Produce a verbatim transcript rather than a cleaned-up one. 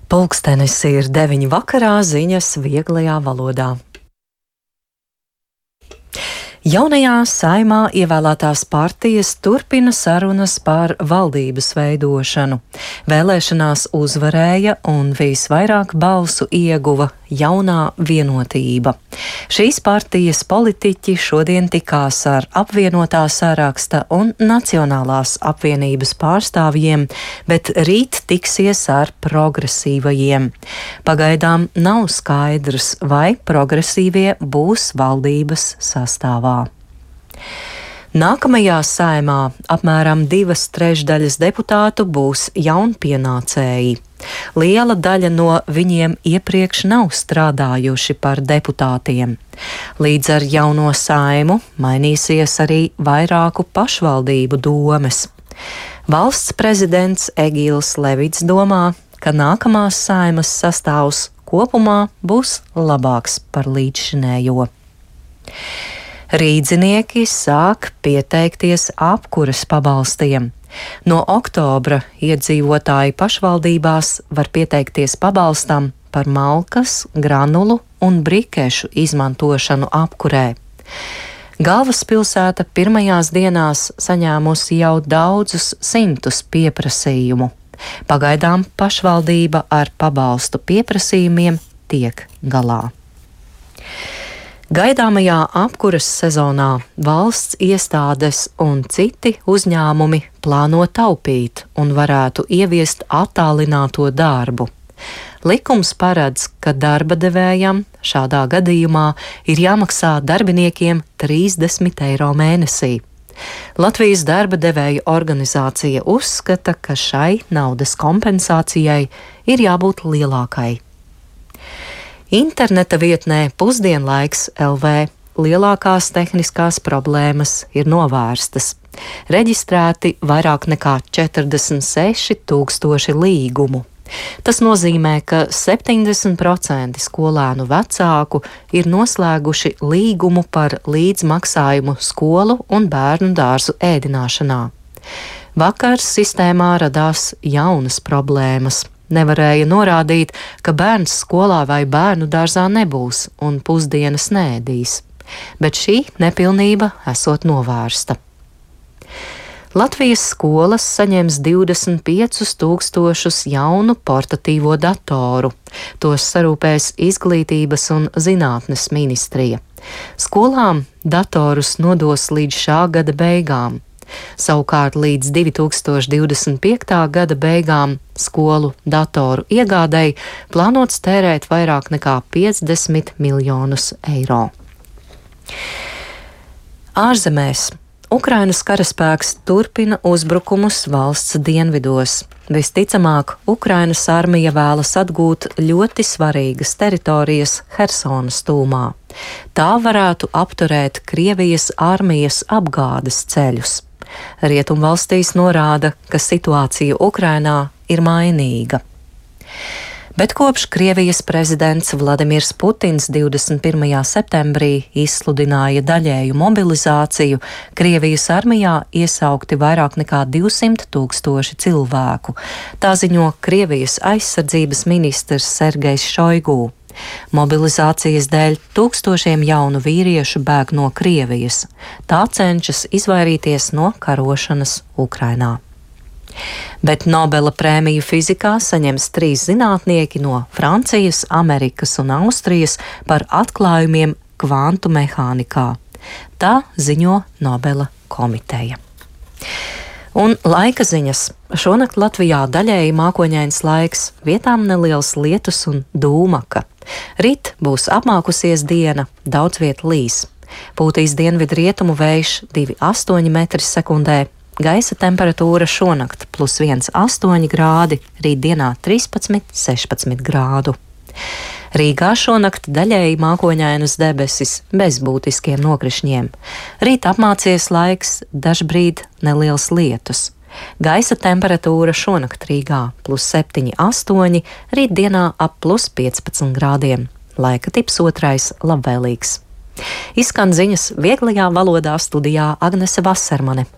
Pulkstenis ir deviņi vakarā, ziņas vieglajā valodā. Jaunajā Saeimā ievēlētās partijas turpina sarunas par valdības veidošanu. Vēlēšanās uzvarēja un visvairāk balsu ieguva Jaunā Vienotība. Šīs partijas politiķi šodien tikās ar apvienotā saraksta un Nacionālās apvienības pārstāvjiem, bet rīt tiksies ar progresīvajiem. Pagaidām nav skaidrs, vai progresīvie būs valdības sastāvā. Nākamajā Saeimā apmēram divas trešdaļas deputātu būs jaunpienācēji. Liela daļa no viņiem iepriekš nav strādājuši par deputātiem. Līdz ar jauno Saeimu mainīsies arī vairāku pašvaldību domes. Valsts prezidents Egils Levits domā, ka nākamās Saeimas sastāvs kopumā būs labāks par līdzšinējo. Rīdzinieki sāk pieteikties apkures pabalstiem. No oktobra iedzīvotāji pašvaldībās var pieteikties pabalstam par malkas, granulu un brikešu izmantošanu apkurē. Galvaspilsēta pirmajās dienās saņēmusi jau daudzus simtus pieprasījumu. Pagaidām pašvaldība ar pabalstu pieprasījumiem tiek galā. Gaidāmajā apkuras sezonā valsts iestādes un citi uzņēmumi plāno taupīt un varētu ieviest attālināto darbu. Likums paredz, ka darba devējam šādā gadījumā ir jāmaksā darbiniekiem trīsdesmit eiro mēnesī. Latvijas darba devēju organizācija uzskata, ka šai naudas kompensācijai ir jābūt lielākai. Interneta vietnē pusdienlaiks L V lielākās tehniskās problēmas ir novērstas. Reģistrēti vairāk nekā četrdesmit seši tūkstoši līgumu. Tas nozīmē, ka septiņdesmit procenti skolēnu vecāku ir noslēguši līgumu par līdzmaksājumu skolu un bērnu dārzu ēdināšanā. Vakar sistēmā radās jaunas problēmas. Nevarēja norādīt, ka bērns skolā vai bērnu dārzā nebūs un pusdienas neēdīs, bet šī nepilnība esot novērsta. Latvijas skolas saņems divdesmit piecus tūkstošus jaunu portatīvo datoru. Tos sarūpēs Izglītības un zinātnes ministrija. Skolām datorus nodos līdz šā gada beigām. Savukārt līdz divi tūkstoši divdesmit piektā gada beigām skolu datoru iegādēji plānots tērēt vairāk nekā piecdesmit miljonus eiro. Ārzemēs Ukrainas karaspēks turpina uzbrukumus valsts dienvidos. Visticamāk, Ukrainas armija vēlas atgūt ļoti svarīgas teritorijas Hersonas tūmā. Tā varētu apturēt Krievijas armijas apgādes ceļus. Rietumvalstīs norāda, ka situācija Ukrainā ir mainīga. Bet kopš Krievijas prezidents Vladimirs Putins divdesmit pirmajā septembrī izsludināja daļēju mobilizāciju, Krievijas armijā iesaukti vairāk nekā divsimt tūkstoši cilvēku. Tā ziņo Krievijas aizsardzības ministrs Sergejs Šoigu. Mobilizācijas dēļ tūkstošiem jaunu vīriešu bēg no Krievijas. Tā cenšas izvairīties no karošanas Ukrainā. Bet Nobela prēmiju fizikā saņems trīs zinātnieki no Francijas, Amerikas un Austrijas par atklājumiem kvantu mehānikā. Tā ziņo Nobela komiteja. Un laika ziņas. Šonakt Latvijā daļēji mākoņains laiks, vietām neliels lietus un dūmaka. Rīt būs apmākusies diena, daudz viet līs. Pūtīs dienvidu rietumu vējš divi astoņi metri sekundē. Gaisa temperatūra šonakt plus viens astoņi grādi, rītdienā trīspadsmit sešpadsmit grādu. Rīgā šonakt daļēji mākoņainas debesis bez būtiskiem nokrišņiem. Rīt apmācies laiks, dažbrīd neliels lietus. Gaisa temperatūra šonakt Rīgā plus septiņi astoņi, rītdienā ap plus piecpadsmit grādiem. Laika tips otrais labvēlīgs. Izskan ziņas vieglajā valodā, studijā Agnese Vasermane.